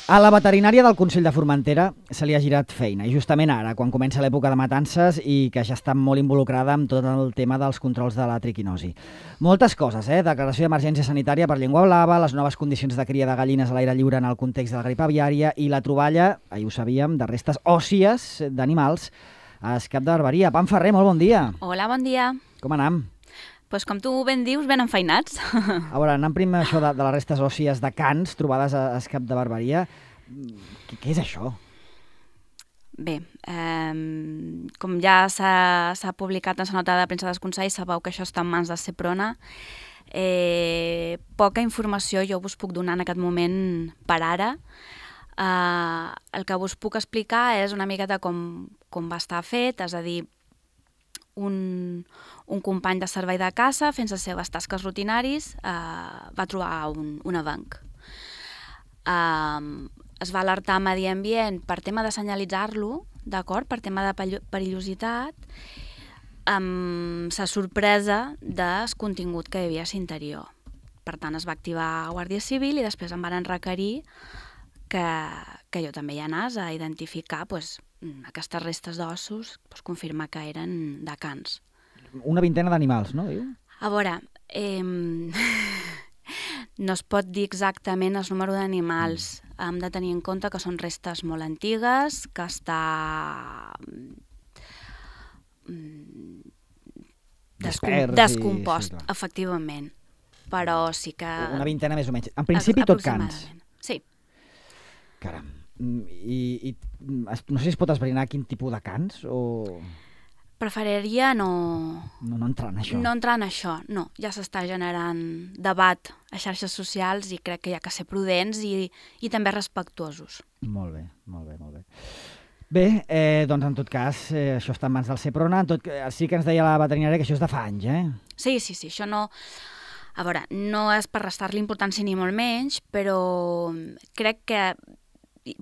A la veterinària del Consell de Formentera se li ha girat feina, i justament ara, quan comença l'època de matances i que ja està molt involucrada amb tot el tema dels controls de la triquinosi. Moltes coses, declaració d'emergència sanitària per llengua blava, les noves condicions de cria de gallines a l'aire lliure en el context de la grip aviària i la troballa, ahir ho sabíem, de restes òssies d'animals a Escap de Barberia. Pam Ferrer, molt bon dia. Hola, bon dia. Com anam? Pues com tu ben dius, ben enfeinats. A veure, anant primer això de les restes òssies de cans trobades a Escap de Barberia. Què és això? Bé, com ja s'ha publicat en la nota de premsa del Consell, sabeu que això està en mans de Seprona. Poca informació jo us puc donar en aquest moment per ara. El que us puc explicar és una miqueta com va estar fet, és a dir, un company de servei de caça, fent les seves tasques rutinaris, va trobar un avenc. Es va alertar Medi Ambient per tema de senyalitzar-lo, d'acord, per tema de perillositat, amb la sorpresa del contingut que hi havia a l'interior. Per tant, es va activar Guàrdia Civil i després em van requerir que jo també hi anés a identificar aquestes restes d'ossos, confirmar que eren de cans. Una vintena d'animals, no? Diu? A veure, no es pot dir exactament el número d'animals. Hem de tenir en compte que són restes molt antigues, que està descompost, efectivament. Però sí que... Una vintena més o menys. En principi tot cans. Sí. Caram. I no sé si es pot esbrinar quin tipus de cans o... Preferiria no entrar en això. No entrar en això, no. Ja s'està generant debat a xarxes socials i crec que hi ha que ser prudents i també respectuosos. Molt bé, molt bé, molt bé. Bé, doncs en tot cas, això està en mans del Seprona. Sí que ens deia la veterinària que això és de fa anys, Sí, això no... A veure, no és per restar-li importància ni molt menys, però crec que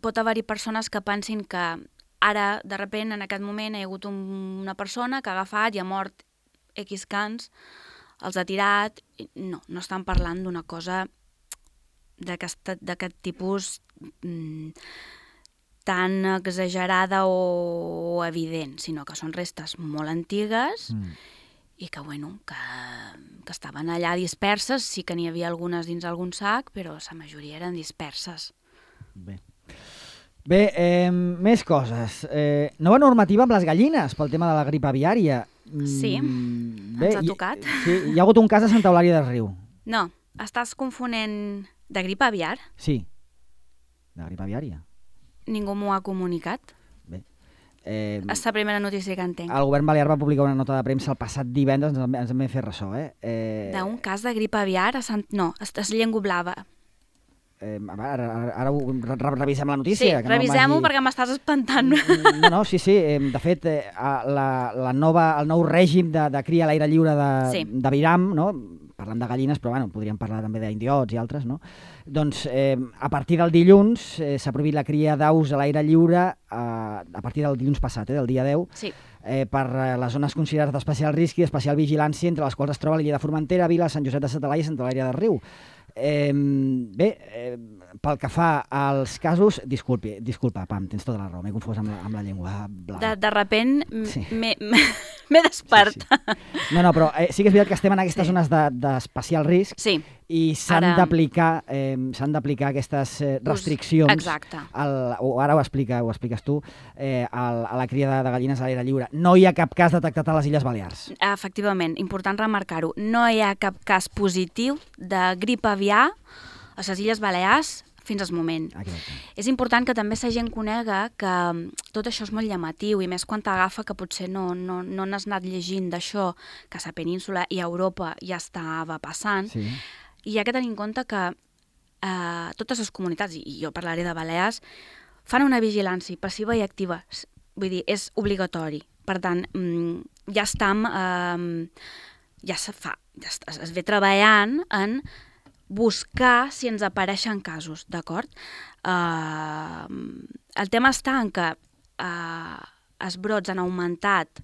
pot haver-hi persones que pensin que ara, de sobte, en aquest moment, hi ha hagut una persona que ha agafat i ha mort X cans, els ha tirat... No estan parlant d'una cosa d'aquest tipus tan exagerada o evident, sinó que són restes molt antigues i que estaven allà disperses. Sí que n'hi havia algunes dins algun sac, però la majoria eren disperses. Bé, més coses. Nova normativa amb les gallines pel tema de la grip aviària. Sí, ens ha tocat. Sí, hi ha hagut un cas a Santa Eulàlia des Riu. No, estàs confonent de grip aviar? Sí, de grip aviària. Ningú m'ho ha comunicat. Bé. És la primera notícia que entenc. El govern balear va publicar una nota de premsa el passat divendres, ens en vam fer ressò. D'un cas de grip aviar? No, és llengua blava. Ara revisem la notícia. Sí, revisem-ho perquè m'estàs espantant. No, sí. De fet, el nou règim de cria a l'aire lliure de Viram, no? Parlem de gallines, però podríem parlar també d'indiots i altres, no? Doncs a partir del dilluns s'ha prohibit la cria d'aus a l'aire lliure a partir del dilluns passat, del dia 10, per les zones considerades d'especial risc i d'especial vigilància, entre les quals es troba l'illa de Formentera, Vila, Sant Josep de sa Talaia i Santa Eulàlia del Riu. Bé, pel que fa als casos, disculpa, Pam, tens tota la raó, m'he confós amb la llengua blava. De sobte m'he desperta. No, però sí que és veritat que estem en aquestes zones d'especial risc i s'han d'aplicar aquestes restriccions. Exacte. Ara ho expliques tu, a la cria de gallines a l'aire lliure. No hi ha cap cas detectat a les Illes Balears. Efectivament, important remarcar-ho. No hi ha cap cas positiu de grip aviar a les Illes Balears fins al moment. Exacte. És important que també la gent conega que tot això és molt llamatiu, i més quan t'agafa que potser no n'has anat llegint d'això, que a la península i a Europa ja estava passant. Sí. I hi ha que tenir en compte que totes les comunitats, i jo parlaré de Balears, fan una vigilància passiva i activa. Vull dir, és obligatori. Per tant, ja es ve treballant en buscar si ens apareixen casos, d'acord? El tema està en que els brots han augmentat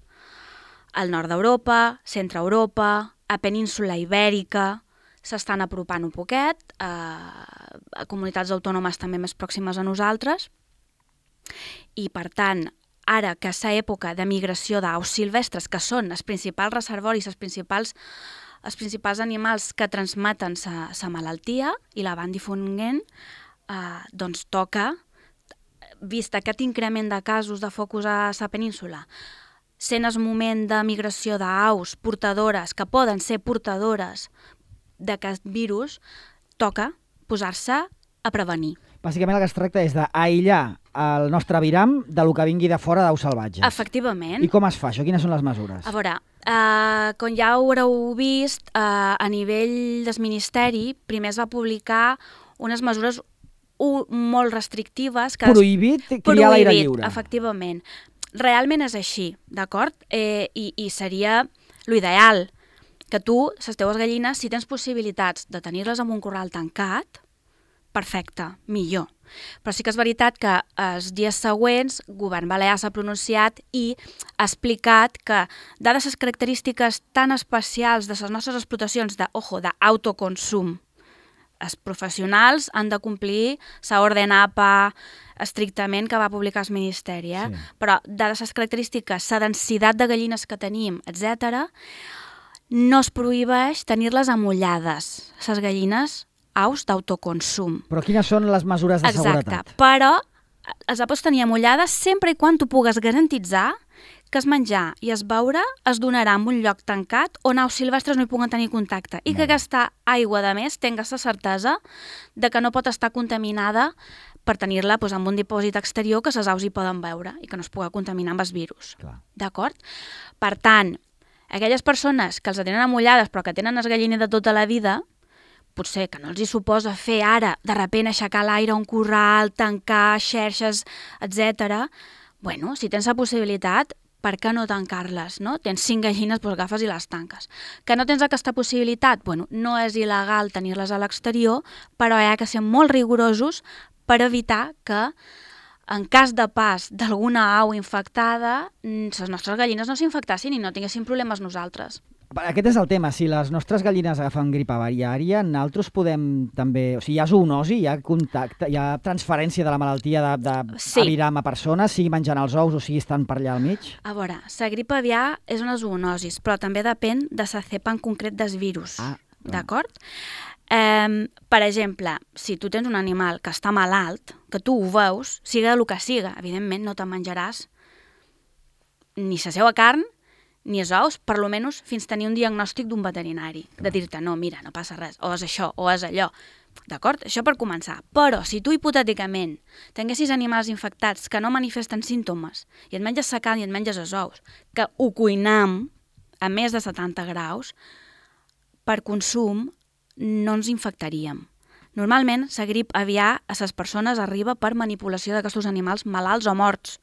al nord d'Europa, centre Europa, a península Ibèrica, s'estan apropant un poquet, a comunitats autònomes també més pròximes a nosaltres, i per tant, ara que és època de migració d'aus silvestres, que són els principals reservoris, els principals animals que transmeten la malaltia i la van difonent, doncs toca, vist aquest increment de casos de focus a la península, sent el moment de migració d'aus portadores, que poden ser portadores d'aquest virus, toca posar-se a prevenir. Bàsicament el que es tracta és d'aïllar el nostre aviram del que vingui de fora d'aus salvatges. Efectivament. I com es fa això? Quines són les mesures? A veure, com ja haureu vist, a nivell del Ministeri, primer es va publicar unes mesures molt restrictives. Prohibit criar a l'aire lliure. Efectivament. Realment és així, d'acord? I seria l'ideal que tu, les teves gallines, si tens possibilitats de tenir-les en un corral tancat, perfecte, millor. Però sí que és veritat que els dies següents el govern balear s'ha pronunciat i ha explicat que, dades les característiques tan especials de les nostres explotacions d'autoconsum, els professionals han de complir la orden APA estrictament que va publicar el Ministeri, Sí. Però dades les característiques, la densitat de gallines que tenim, etc., no es prohibeix tenir-les amullades, les gallines aus d'autoconsum. Però quines són les mesures de seguretat? Exacte, però els pots tenir amullades sempre i quan tu pugues garantitzar que el menjar i el beure es donarà en un lloc tancat on aus silvestres no hi puguen tenir contacte i que aquesta aigua, de més, tingues la certesa de que no pot estar contaminada per tenir-la en un dipòsit exterior que les aus hi poden beure i que no es pugui contaminar amb el virus. D'acord? Per tant, aquelles persones que els tenen amullades però que tenen el galliner de tota la vida, potser que no els hi suposa fer ara, de sobte aixecar l'aire a un corral, tancar xerxes, etc. Bueno, si tens la possibilitat, per què no tancar-les, no? Tens 5 gallines, doncs agafes i les tanques. Que no tens aquesta possibilitat? Bueno, no és il·legal tenir-les a l'exterior, però hi ha que ser molt rigorosos per evitar que, en cas de pas d'alguna au infectada, les nostres gallines no s'infectassin i no tinguessin problemes nosaltres. Aquest és el tema. Si les nostres gallines agafen grip aviària, nosaltres podem també... O sigui, hi ha zoonosi, hi ha contacte, hi ha transferència de la malaltia d'aviram a persones, sigui menjant els ous o sigui estant per allà al mig? A veure, la grip aviar és una zoonosi, però també depèn de la cepa en concret del virus. D'acord? Per exemple, si tu tens un animal que està malalt, que tu ho veus, siga el que siga, evidentment no te'n menjaràs ni la seva carn, ni els ous, per almenys fins tenir un diagnòstic d'un veterinari, de dir-te, no, mira, no passa res, o és això, o és allò. D'acord? Això per començar. Però si tu hipotèticament tinguessis animals infectats que no manifesten símptomes i et menges la carn i et menges els ous, que ho cuinam a més de 70 graus, per consum no ens infectaríem. Normalment, la grip aviar a les persones arriba per manipulació d'aquests animals malalts o morts.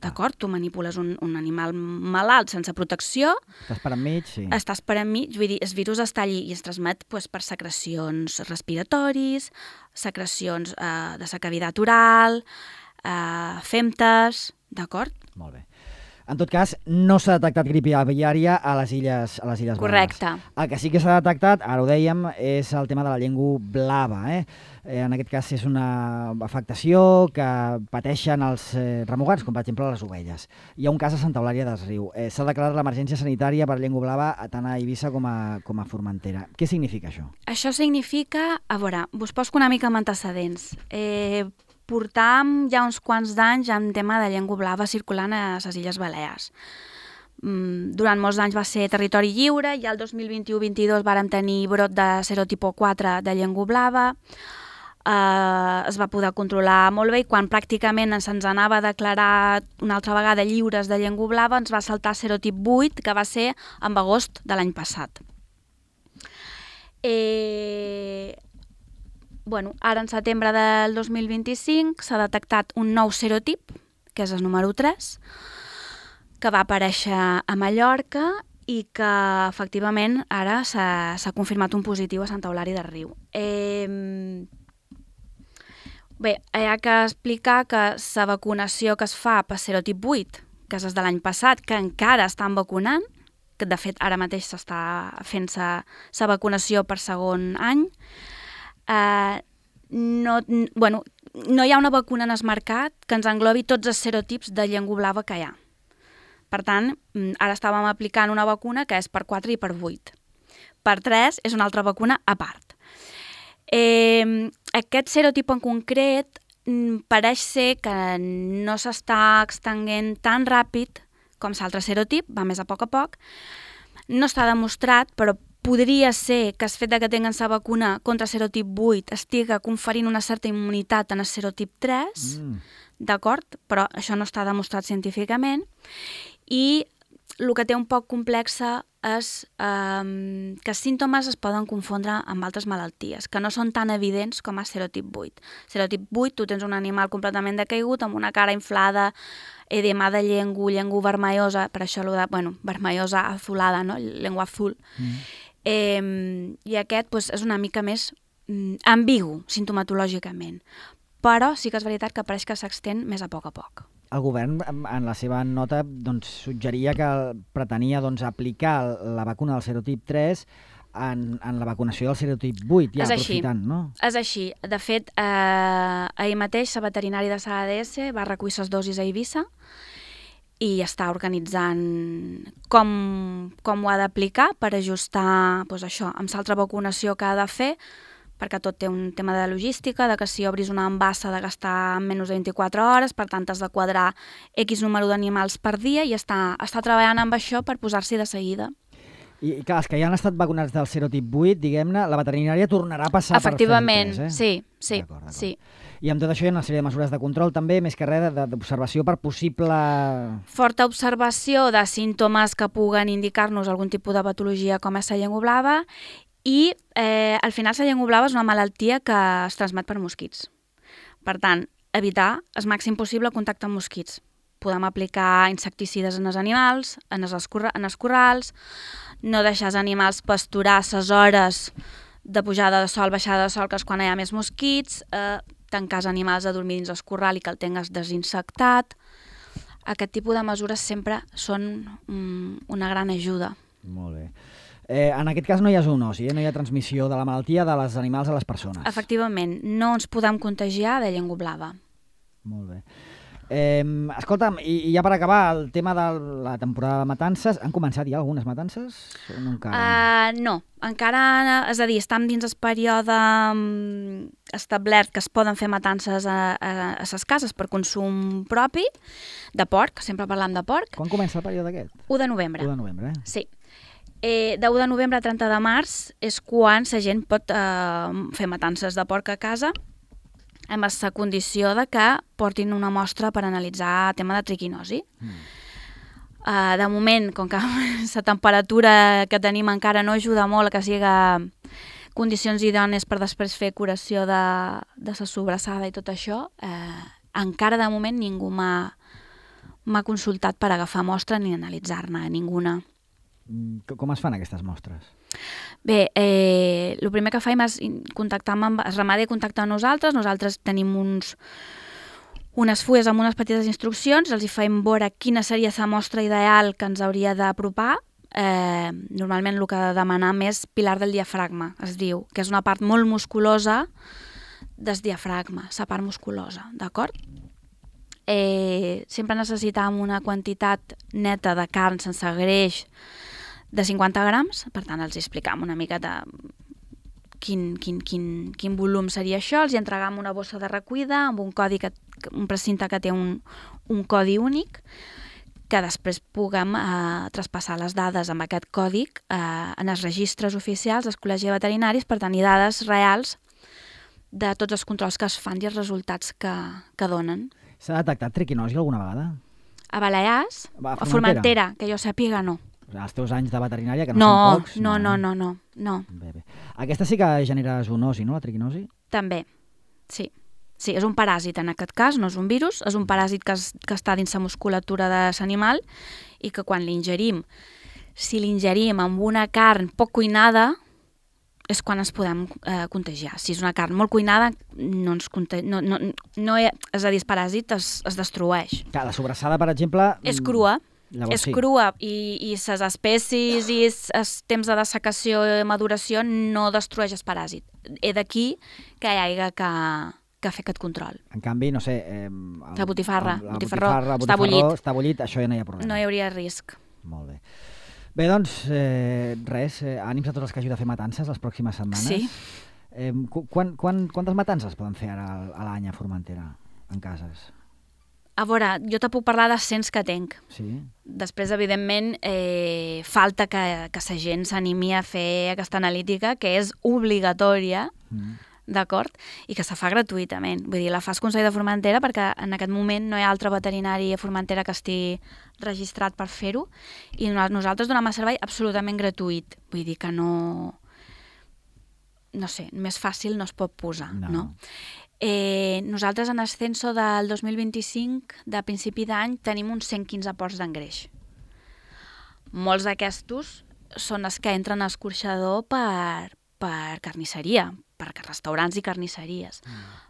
D'acord? Tu manipules un animal malalt sense protecció. Estàs per enmig, sí. Estàs per enmig, vull dir, el virus està allí i es transmet per secrecions respiratoris, secrecions de la cavitat oral, femtes, d'acord? Molt bé. En tot cas, no s'ha detectat grip aviària a les Illes Balears. Correcte. El que sí que s'ha detectat, ara ho dèiem, és el tema de la llengua blava. En aquest cas és una afectació que pateixen els remugants, com per exemple les ovelles. Hi ha un cas a Santa Eulària des Riu. S'ha declarat l'emergència sanitària per llengua blava tant a Eivissa com a Formentera. Què significa això? Això significa, a veure, vos poso una mica amb antecedents. Portàvem ja uns quants d'anys amb tema de llengua blava circulant a les Illes Balears. Durant molts anys va ser territori lliure, i el 2021-22 vàrem tenir brot de serotipo 4 de llengua blava, es va poder controlar molt bé i quan pràcticament se'ns anava a declarar una altra vegada lliures de llengua blava ens va saltar serotip 8, que va ser en agost de l'any passat. Ara en setembre del 2025 s'ha detectat un nou serotip, que és el número 3, que va aparèixer a Mallorca i que efectivament ara s'ha confirmat un positiu a Santa Eulària de Riu. Bé, hi ha que explicar que la vacunació que es fa per serotip 8, que és de l'any passat, que encara estan vacunant, que de fet ara mateix s'està fent sa vacunació per segon any. No hi ha una vacuna en el mercat que ens englobi tots els serotips de llengua blava que hi ha. Per tant, ara estàvem aplicant una vacuna que és per 4 i per 8. Per 3 és una altra vacuna a part. Aquest serotip en concret pareix ser que no s'està extenguent tan ràpid com l'altre serotip, va més a poc. No està demostrat, però podria ser que el fet que tinguen la vacuna contra serotip 8 estigui conferint una certa immunitat en el serotip 3, d'acord? Però això no està demostrat científicament. I el que té un poc complexa és que els símptomes es poden confondre amb altres malalties, que no són tan evidents com el serotip 8. Serotip 8, tu tens un animal completament decaigut, amb una cara inflada, edema de llengua vermellosa, per això vermellosa azulada, no? Llengua azul. I aquest és una mica més ambigu, sintomatològicament. Però sí que és veritat que pareix que s'extén més a poc. El govern, en la seva nota, suggeria que pretenia aplicar la vacuna del serotip 3 en la vacunació del serotip 8, ja aprofitant, no? És així. De fet, ahir mateix la veterinari de l'ADS va recollir les dosis a Eivissa i està organitzant com ho ha d'aplicar per ajustar això amb l'altra vacunació que ha de fer, perquè tot té un tema de logística, de que si obris una embassa ha de gastar menys de 24 hores, per tant has de quadrar X número d'animals per dia i està treballant amb això per posar-s'hi de seguida. I clar, els que ja han estat vacunats del serotip 8, diguem-ne, la veterinària tornarà a passar efectivament, per serotip 3, sí. D'acord. Sí. I amb tot això hi ha una sèrie de mesures de control també, més que res d'observació per possible... Forta observació de símptomes que puguen indicar-nos algun tipus de patologia com és la llengua blava. I al final la llengua blava és una malaltia que es transmet per mosquits. Per tant, evitar el màxim possible el contacte amb mosquits. Podem aplicar insecticides en els animals, en els corrals, no deixar els animals pasturar les hores de pujada de sol, baixada de sol, que és quan hi ha més mosquits, tancar els animals a dormir dins el corral i que el tingues desinsectat. Aquest tipus de mesures sempre són una gran ajuda. Molt bé. En aquest cas no hi ha zoonosi, no hi ha transmissió de la malaltia dels animals a les persones. Efectivament, no ens podem contagiar de llengua blava. Molt bé. Escolta'm, i ja per acabar, el tema de la temporada de matances, han començat ja algunes matances? O no encara? No, encara, és a dir, estem dins el període establert que es poden fer matances a les cases per consum propi, de porc, sempre parlam de porc. Quan comença el període aquest? 1 de novembre. 1 de novembre, Sí. De 1 de novembre a 30 de març és quan la gent pot fer matances de porc a casa amb la condició de que portin una mostra per analitzar el tema de triquinosi. De moment, com que la temperatura que tenim encara no ajuda molt a que siga condicions idònies per després fer curació de la sobrassada i tot això, encara de moment ningú m'ha consultat per agafar mostra ni analitzar-ne ninguna. Com es fan aquestes mostres? Bé, el primer que faim és contactar amb el ramadi, contactar amb nosaltres tenim unes fulles amb unes petites instruccions, els hi faim veure quina seria la mostra ideal que ens hauria d'apropar. Normalment el que ha de demanar més pilar del diafragma, es diu, que és una part molt musculosa del diafragma, la part musculosa, d'acord? Sempre necessitàvem una quantitat neta de carn sense greix de 50 grams, per tant els explicam una mica de quin volum seria això, els hi entregam una bossa de recollida amb un precinte que té un codi únic, que després puguem traspassar les dades amb aquest codi en els registres oficials dels col·legis veterinaris per tenir dades reals de tots els controls que es fan i els resultats que donen. S'ha detectat triquinosi alguna vegada? A Balears, a Formentera, que jo sàpiga, no. Els teus anys de veterinària, que no són pocs? No. Bé. Aquesta sí que genera zoonosi, no, la triquinosi? També, sí. Sí, és un paràsit en aquest cas, no és un virus, és un paràsit que està dins la musculatura de l'animal i que quan l'ingerim, si l'ingerim amb una carn poc cuinada, és quan ens podem contagiar. Si és una carn molt cuinada, és a dir, el paràsit es destrueix. Clar, la sobrassada, per exemple... És crua. Llavors, és crua i ses espècies i els temps de dessecació i maduració no destrueix el paràsit. He d'aquí que hi hagi que fer aquest control. En canvi, no sé... La botifarra, està bullit, això ja no hi ha problema. No hi hauria risc. Molt bé. Bé, doncs, res, ànims a tots els que hagin de fer matances les pròximes setmanes. Sí. Quantes matances poden fer ara a l'any a Formentera, en cases? A veure, jo te puc parlar de 100 que tenc. Sí. Després, evidentment, falta que la gent s'animi a fer aquesta analítica, que és obligatòria, d'acord? I que se fa gratuïtament. Vull dir, la fa el Consell de Formentera perquè en aquest moment no hi ha altre veterinari a Formentera que estigui registrat per fer-ho i nosaltres donem el servei absolutament gratuït. Vull dir que no sé, més fàcil no es pot posar, no? Nosaltres en el censo del 2025, de principi d'any, tenim uns 115 ports d'engreix. Molts d'aquestos són els que entren a escorxador per carnisseria, per restaurants i carnisseries.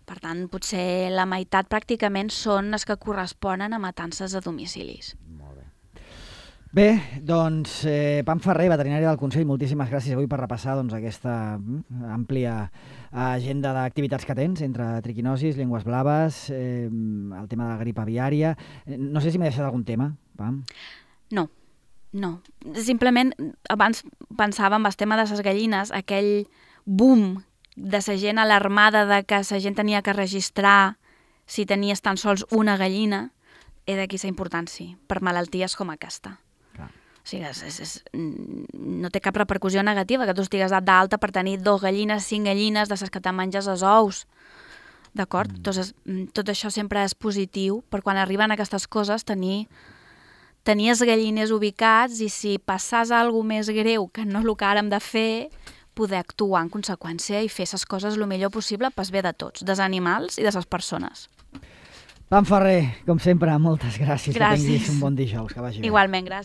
Per tant, potser la meitat pràcticament són els que corresponen a matances a domicilis. Molt bé. Bé, doncs, Pam Ferrer, veterinari del Consell, moltíssimes gràcies avui per repassar aquesta àmplia agenda d'activitats que tens entre triquinosis, llengües blaves, el tema de la grip aviària. No sé si m'he deixat algun tema, Pam. No. Simplement, abans pensava en el tema de les gallines, aquell boom de la gent alarmada de que la gent tenia que registrar si tenies tan sols una gallina, d'aquí la importància per malalties com aquesta. O sigui, no té cap repercussió negativa que tu estigues d'alta per tenir 2 gallines, 5 gallines, de les que te menges els ous. D'acord? Tot això sempre és positiu per quan arriben aquestes coses tenir els galliners ubicats i si passàs alguna més greu que no el que ara hem de fer, poder actuar en conseqüència i fer les coses el millor possible pel bé de tots, dels animals i de les persones. Pam Ferrer, com sempre, moltes gràcies. Gràcies. Que tinguis un bon dijous, que vagi bé. Igualment, gràcies.